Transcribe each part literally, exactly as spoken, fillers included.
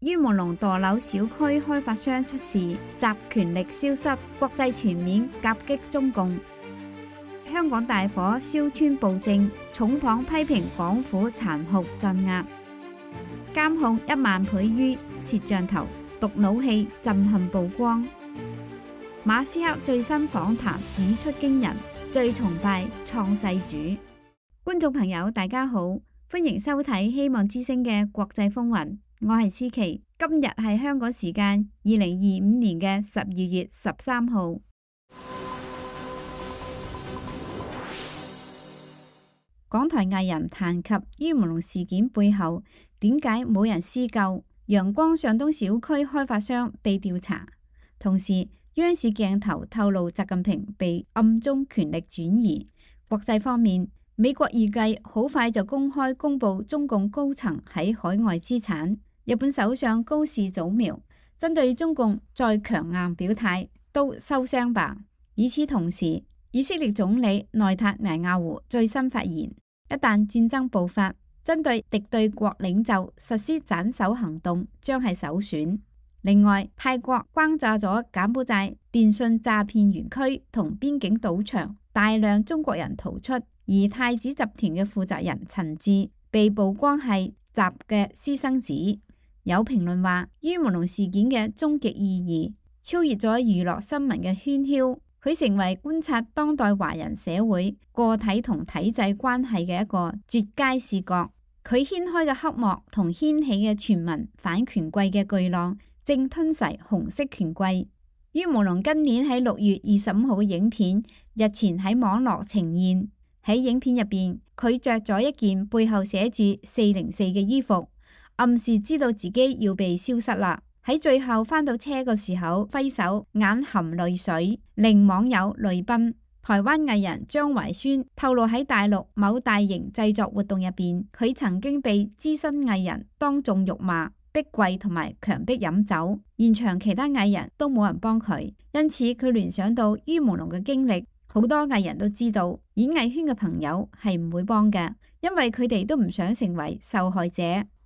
於朦朧墮樓小區開發商出事，集權力消失，國際全面夾擊中共。香港大火燒村暴政，重磅批評港府殘酷鎮壓。監控一萬倍於攝像頭，毒腦氣震撼曝光。馬斯克最新訪談語出驚人，最崇拜創世主。觀眾朋友大家好，歡迎收睇希望之聲嘅國際風雲。我係思琪，今日係香港時間二零二五年嘅十二月十三號。港台藝人談及於朦朧事件背後點解冇人施救，陽光上東小區開發商被調查，同時央視鏡頭透露習近平被暗中權力轉移。國際方面，美國預計好快就公開公布中共高層喺海外資產。日本首相高市早苗針對中共再強硬表態，都收聲吧。與此同時，以色列總理內塔尼亞胡最新發言，一旦戰爭爆發，針對敵對國領袖實施斬首行動將係首選。另外，泰國轟炸咗柬埔寨電信詐騙園區同邊境賭場，大量中國人逃出，而太子集團嘅負責人陳志被曝光係習嘅私生子。有評論話，於朦朧事件嘅終極意義超越咗娛樂新聞嘅喧囂，佢成為觀察當代華人社會個體同體制關係嘅一個絕佳視角。佢掀開嘅黑幕同掀起嘅全民反權貴嘅巨浪，正吞噬紅色權貴。於朦朧今年喺六月二十五號嘅影片日前喺網絡呈現，喺影片入邊佢着咗一件背後寫住四零四嘅衣服，暗示知道自己要被消失啦。喺最後返到車嘅時候揮手，眼含淚水，令網友淚奔。台灣藝人張懷宣透露喺大陸某大型製作活動入邊，佢曾經被資深藝人當眾辱罵、逼跪同埋強迫飲酒，現場其他藝人都冇人幫佢，因此佢聯想到於朦朧嘅經歷，好多藝人都知道演藝圈嘅朋友係唔會幫嘅，因為佢哋都唔想成為受害者。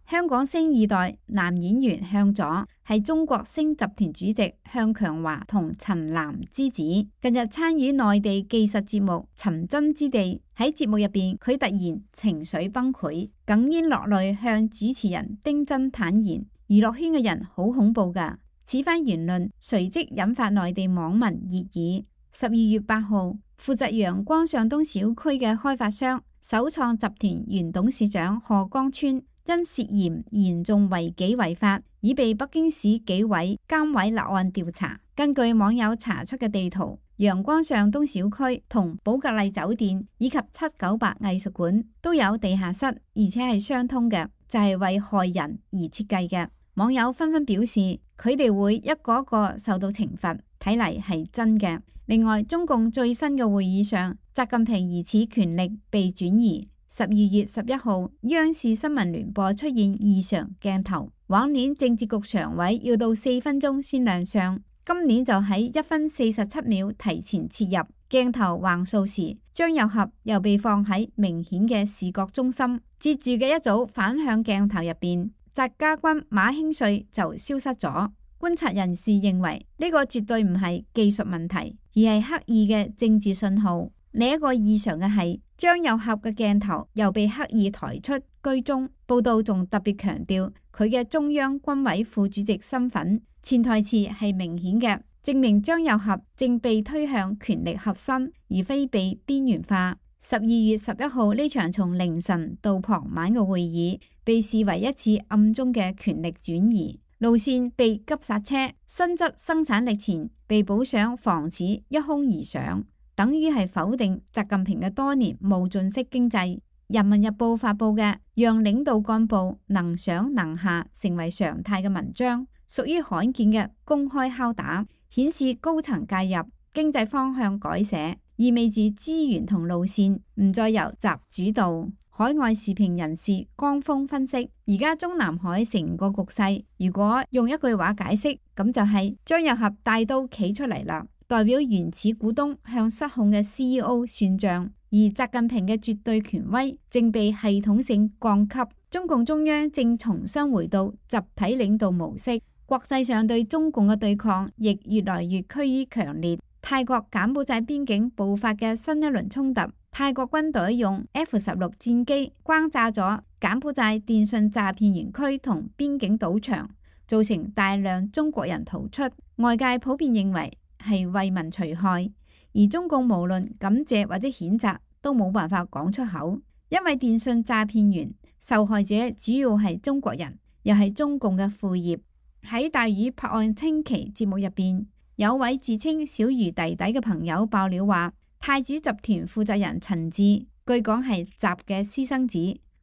香港星二代男演員向佐係中國星集團主席向強華同陳嵐之子，近日參與內地技術節目《尋真之地》，喺節目入邊佢突然情緒崩潰，哽咽落淚向主持人丁真坦言，娛樂圈嘅人好恐怖噶。此番言論隨即引發內地網民熱議。十二月八號，負責陽光上東小區嘅開發商首創集團原董事長賀江村因涉嫌嚴重違紀違法，已被北京市紀委監委立案調查。根據網友查出嘅地圖，陽光上東小區同寶格麗酒店以及七九八藝術館都有地下室，而且係相通嘅，就係為害人而設計嘅。網友紛紛表示，佢哋會一個一個受到懲罰，睇嚟係真嘅。另外，中共最新嘅會議上，習近平疑似權力被轉移。十二月十一號，央視新聞聯播出現異常鏡頭。往年政治局常委要到四分鐘先亮相，今年就喺一分四十七秒提前切入。鏡頭橫掃時，張又俠又被放喺明顯嘅視覺中心。接住嘅一組反向鏡頭入邊，翟家軍、馬興瑞就消失咗。觀察人士認為呢個絕對唔係技術問題，而係刻意嘅政治信號。另一個異常嘅係，張又俠嘅鏡頭又被刻意抬出居中。報道仲特別強調佢嘅中央軍委副主席身份，潛台詞係明顯嘅，證明張又俠正被推向權力核心，而非被邊緣化。十二月十一號呢場從凌晨到傍晚嘅會議，被視為一次暗中嘅權力轉移，路線被急剎車，新質生產力前被補上，防止一空而上。等於係否定習近平嘅多年冒進式經濟。人民日報發佈嘅讓領導幹部能上能下成為常態嘅文章，屬於罕見嘅公開敲打，顯示高層介入，經濟方向改寫，意味住資源同路線唔再由習主導。海外時評人士江峰分析，而家中南海成個局勢，如果用一句話解釋，咁就係張又俠帶刀企出嚟啦。代表原始股東向失控嘅 C E O 算賬，而習近平嘅絕對權威正被系統性降級，中共中央正重新回到集體領導模式，國際上對中共嘅對抗亦越來越趨於強烈。泰國柬埔寨邊境爆發嘅新一輪衝突，泰國軍隊用 F 十六戰機轟炸咗柬埔寨電信詐騙園區同邊境賭場，造成大量中國人逃出。外界普遍認為係為民除害，而中共無論感謝或者譴責都冇辦法講出口，因為電信詐騙園受害者主要係中國人，又係中共嘅副業。喺大魚拍案稱奇節目入邊，有位自稱小魚弟弟嘅朋友爆料話，太子集團負責人陳志據講係習嘅私生子，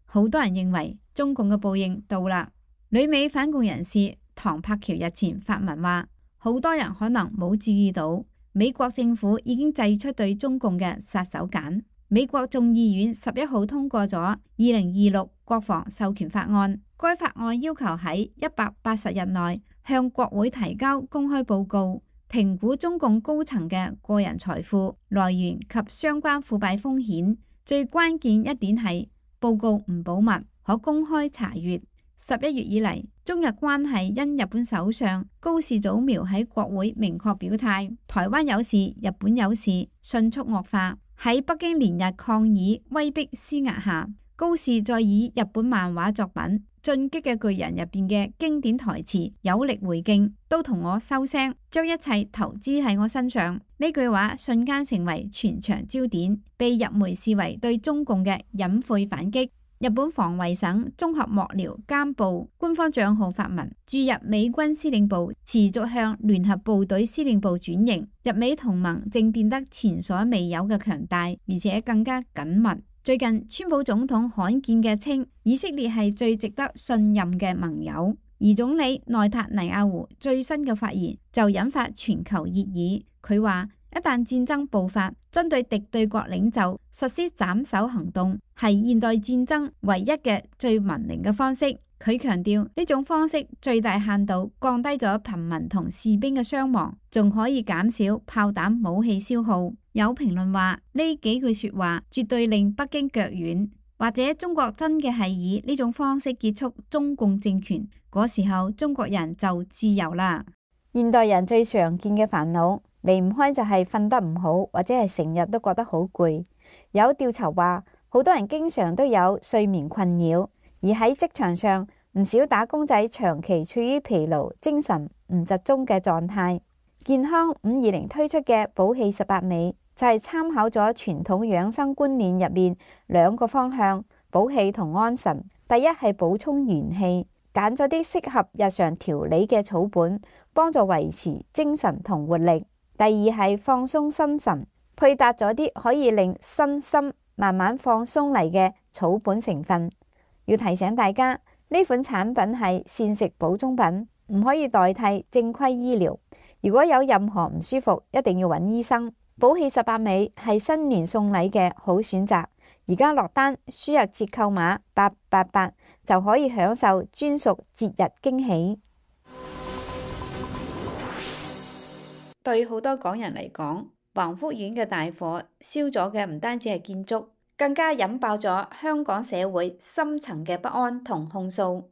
好多人認為中共嘅報應到啦。旅美反共人士唐柏橋日前發文話，好多人可能冇注意到，美國政府已經祭出對中共嘅殺手鐧。美國眾議院十一號通過咗二零二六國防授權法案，該法案要求喺一百八十日內向國會提交公開報告，評估中共高層嘅個人財富來源及相關腐敗風險。最關鍵一點係報告唔保密，可公開查閱。十一月以嚟，中日關係因日本首相高市早苗喺國會明確表態，台灣有事，日本有事，迅速惡化。喺北京連日抗議威逼施壓下，高市再以日本漫畫作品《進擊嘅巨人》入邊嘅經典台詞有力回敬，都同我收聲，將一切投資喺我身上。呢句話瞬間成為全場焦點，被日媒視為對中共嘅隱晦反擊。日本防衛省綜合幕僚監部官方賬號發文，駐日美軍司令部持續向聯合部隊司令部轉型，日美同盟正變得前所未有嘅強大，而且更加緊密。最近，川普總統罕見嘅稱以色列係最值得信任嘅盟友，而總理內塔尼亞胡最新嘅發言就引發全球熱議。佢話，一旦戰爭爆發，針對敵對國領袖實施斬首行動係現代戰爭唯一嘅最文明嘅方式。佢強調呢種方式最大限度降低咗平民同士兵嘅傷亡，仲可以減少炮彈武器消耗。有評論話呢幾句說話絕對令北京腳軟，或者中國真嘅係以呢種方式結束中共政權，嗰時候中國人就自由啦。現代人最常見嘅煩惱離唔開就係瞓得唔好，或者係成日都覺得好攰。有調查話，好多人經常都有睡眠困擾，而喺職場上，唔少打工仔長期處於疲勞、精神唔集中嘅狀態。健康五二零推出嘅補氣十八味就係參考咗傳統養生觀念入面兩個方向，補氣同安神。第一係補充元氣，揀咗啲適合日常調理嘅草本，幫助維持精神同活力。第二係放鬆心神，配搭咗啲可以令身心慢慢放鬆嚟嘅草本成分。要提醒大家，呢款產品係膳食補充品，唔可以代替正規醫療。如果有任何唔舒服，一定要揾醫生。補氣十八味係新年送禮嘅好選擇，而家落單輸入折扣碼八八八就可以享受專屬節日驚喜。對好多港人嚟講，橫福苑嘅大火燒咗嘅唔單止係建築，更加引爆咗香港社會深層嘅不安同控訴。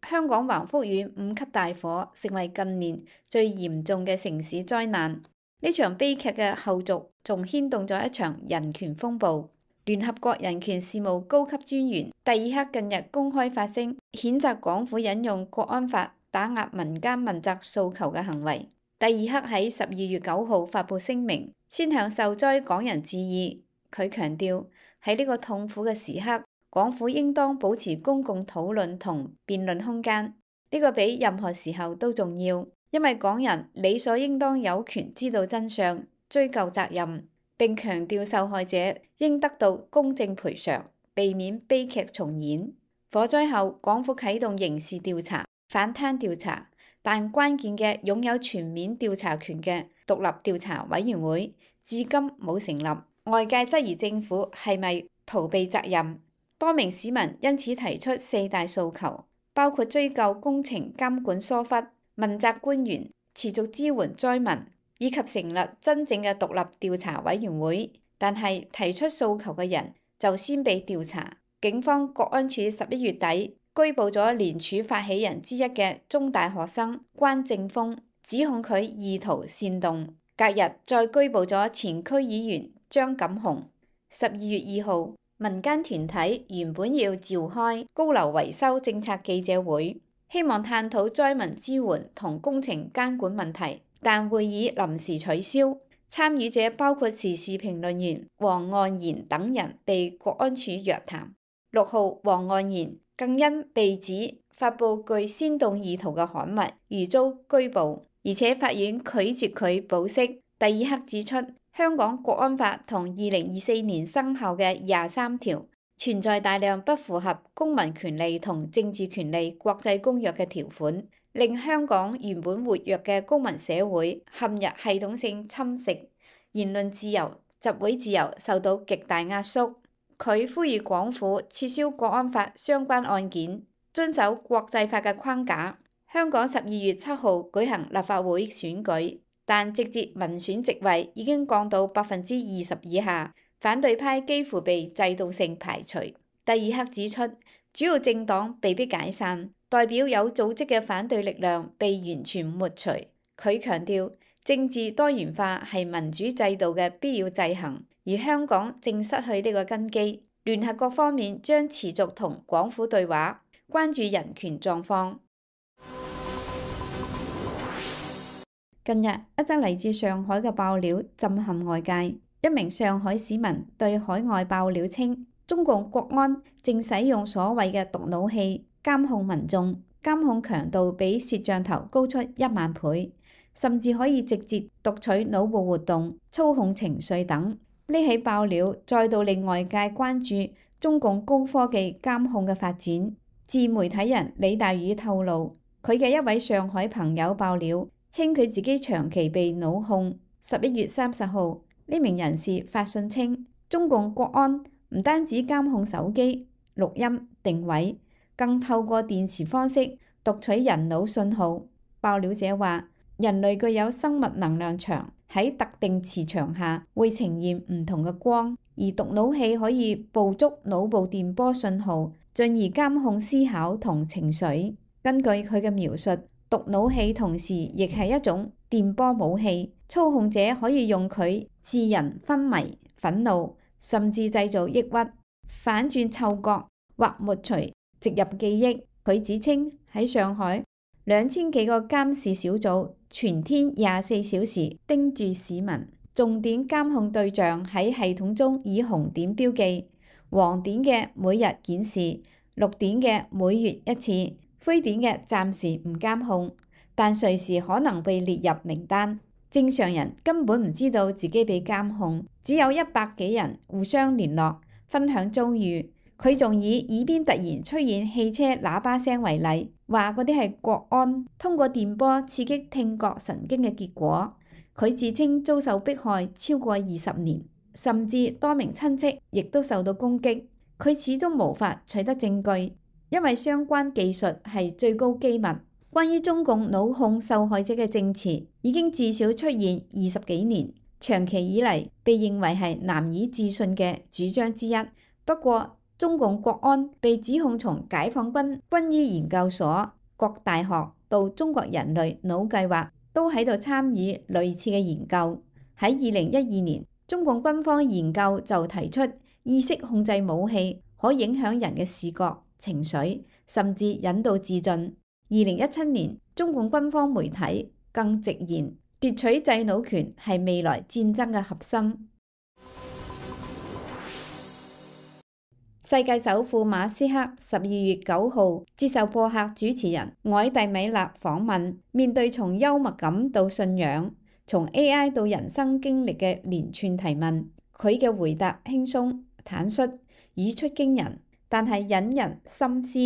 香港橫福苑五級大火成為近年最嚴重嘅城市災難。呢場悲劇嘅後續仲牽動咗一場人權風暴。聯合國人權事務高級專員蒂爾克近日公開發聲，譴責港府引用國安法打壓民間問責訴求嘅行為。蒂爾克喺十二月九號發布聲明，先向受災港人致意。佢強調喺呢個痛苦嘅時刻，港府應當保持公共討論同辯論空間，呢個比任何時候都重要，因為港人理所應當有權知道真相、追究責任，並強調受害者應得到公正賠償，避免悲劇重演。火災後，港府啟動刑事調查、反貪調查。但關鍵嘅擁有全面調查權嘅獨立調查委員會至今冇成立，外界質疑政府係咪逃避責任。多名市民因此提出四大訴求，包括追究工程監管疏忽、問責官員、持續支援災民，以及成立真正嘅獨立調查委員會。但係提出訴求嘅人就先被調查。警方國安處十一月底拘捕咗聯署發起人之一嘅中大學生關正峰，指控佢意圖煽動。隔日再拘捕咗前區議員張錦雄。十二月二號，民間團體原本要召開高樓維修政策記者會，希望探討災民支援同工程監管問題，但會議臨時取消。參與者包括時事評論員黃岸然等人被國安處約談。六號，黃岸然更因被指發布具煽動意圖嘅刊物而遭拘捕。而且法院拒絕佢保釋。蒂爾克指出，香港國安法同二零二四年生效嘅廿三條存在大量不符合公民權利同政治權利國際公約嘅條款，令香港原本活躍嘅公民社會陷入系統性侵蝕，言論自由、集會自由受到極大壓縮。佢呼籲港府撤銷國安法相關案件，遵守國際法嘅框架。香港十二月七號舉行立法會選舉，但直接民選席位已經降到百分之二十以下，反對派幾乎被制度性排除。蒂爾克指出，主要政黨被迫解散，代表有組織嘅反對力量被完全抹除。佢強調，政治多元化係民主制度嘅必要制衡，而香港正失去呢個根基。聯合國方面將持續同港府對話，關注人權狀況。近日，一則嚟自上海嘅爆料震撼外界。一名上海市民對海外爆料稱，中共國安正使用所謂嘅讀腦器監控民眾，監控強度比攝像頭高出一萬倍，甚至可以直接讀取腦部活動、操控情緒等。呢起爆料再度令外界關注中共高科技監控嘅發展。自媒體人李大宇透露，佢嘅一位上海朋友爆料，稱佢自己長期被腦控。十一月三十號，呢名人士發信稱，中共國安唔單止監控手機、錄音、定位，更透過電磁方式讀取人腦信號。爆料者話，人類具有生物能量場，喺特定磁場下會呈現唔同嘅光，而讀腦器可以捕捉腦部電波信號，進而監控思考同情緒。根據佢嘅描述，讀腦器同時亦係一種電波武器，操控者可以用佢致人昏迷、憤怒，甚至製造抑鬱、反轉嗅覺或抹除植入記憶。佢指稱喺上海，兩千幾個監視小組全天廿四小時盯住市民，重點監控對象喺系統中以紅點標記，黃點嘅每日檢視，綠點嘅每月一次，灰點嘅暫時唔監控，但隨時可能被列入名單。正常人根本唔知道自己被監控，只有一百幾人互相聯絡，分享遭遇。佢仲以耳邊突然出現汽車喇叭聲為例，話嗰啲係國安通過電波刺激聽覺神經嘅結果。佢自稱遭受迫害超過二十年，甚至多名親戚亦都受到攻擊。佢始終無法取得證據，因為相關技術係最高機密。關於中共腦控受害者嘅證詞已經至少出現二十幾年，長期以嚟被認為係難以置信嘅主張之一。不過，中共國安被指控從解放軍軍醫研究所、各大學到中國人類腦計劃都喺度參與類似嘅研究。喺二零一二年，中共軍方研究就提出意識控制武器可影響人嘅視覺、情緒，甚至引導自盡。二零一七年，中共軍方媒體更直言奪取制腦權係未來戰爭嘅核心。世界首富馬斯克十二月九號接受播客主持人凱蒂米勒訪問，面對從幽默感到信仰、從 A I 到人生經歷嘅連串提問，佢嘅回答輕鬆坦率，語出驚人，但係引人深思。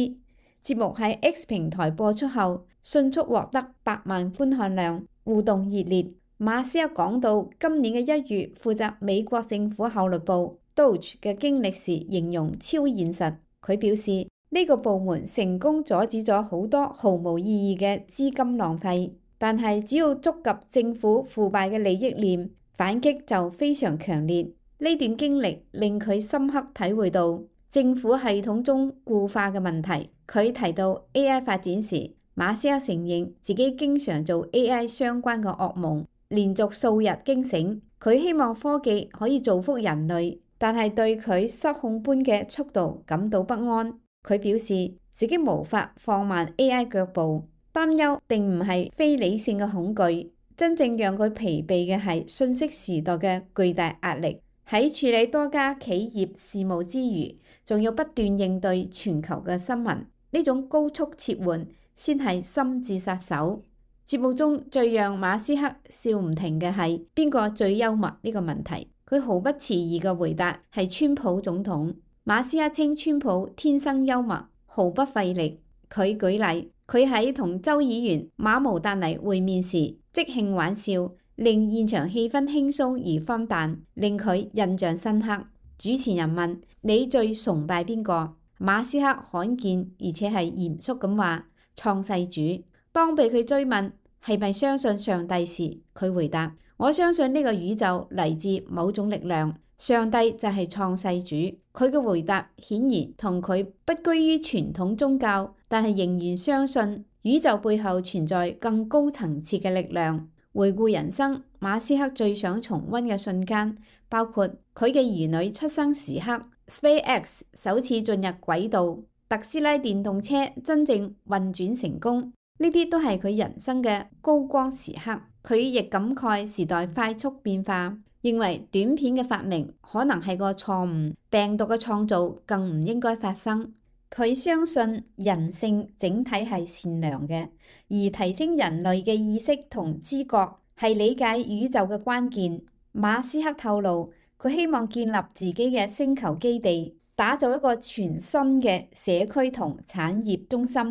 節目喺 X 平台播出後，迅速獲得百萬觀看量，互動熱烈。馬斯克講到今年嘅一月負責美國政府效率部 Doge 嘅經歷時，形容超現實。佢表示呢個部門成功阻止咗好多毫無意義嘅資金浪費，但係只要觸及政府腐敗嘅利益鏈，反擊就非常強烈。呢段經歷令佢深刻體會到政府系統中固化嘅問題。佢提到 A I 發展時，馬斯克承認自己經常做 A I 相關嘅噩夢，連續數日驚醒。佢希望科技可以造福人類，但係對佢失控般嘅速度感到不安。佢表示自己無法放慢 A I 腳步，擔憂並唔係非理性嘅恐懼，真正讓佢疲憊嘅係信息時代嘅巨大壓力。喺處理多家企業事務之餘，仲要不斷應對全球嘅新聞，呢種高速切換先係心智殺手。節目中最讓馬斯克笑唔停嘅係邊個最幽默呢個問題，佢毫不遲疑嘅回答係川普總統。馬斯克稱川普天生幽默，毫不費力。佢舉例，佢喺同州議員馬毛達尼會面時即興玩笑，令現場氣氛輕鬆而荒誕，令佢印象深刻。主持人問：你最崇拜邊個？馬斯克罕見而且係嚴肅咁話：創世主。當被佢追問係咪相信上帝時，佢回答：我相信呢個宇宙嚟自某種力量。上帝就係創世主。佢嘅回答顯然同佢不居於傳統宗教，但係仍然相信宇宙背後存在更高層次嘅力量。回顧人生，馬斯克最想重溫嘅瞬間包括佢嘅兒女出生時刻、SpaceX 首次進入軌道、特斯拉電動車真正運轉成功，呢啲都係佢人生嘅高光時刻。佢亦感慨時代快速變化，認為短片嘅發明可能係個錯誤，病毒嘅創造更唔應該發生。佢相信人性整體係善良嘅，而提升人類嘅意識同知覺係理解宇宙嘅關鍵。馬斯克透露，佢希望建立自己嘅星球基地，打造一個全新嘅社區同產業中心。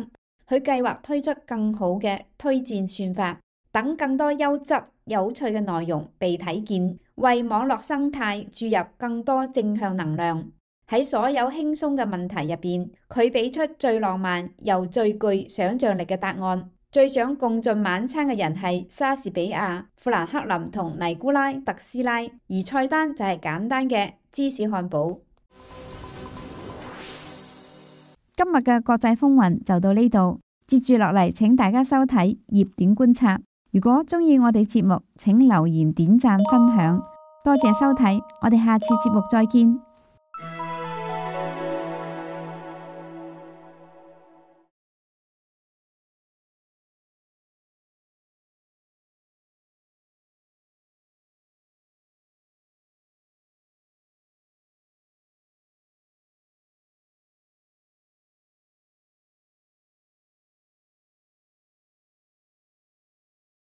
佢計劃推出更好嘅推薦算法，等更多優質有趣嘅內容被睇見，為網絡生態注入更多正向能量。喺所有輕鬆嘅問題入邊，佢俾出最浪漫又最具想像力嘅答案。最想共進晚餐嘅人係莎士比亞、富蘭克林同尼古拉特斯拉，而菜單就係簡單嘅芝士漢堡。今日嘅國際風雲就到呢度，接住落嚟請大家收睇熱點觀察。如果鍾意我哋節目，請留言點讚分享，多謝收睇，我哋下次節目再見。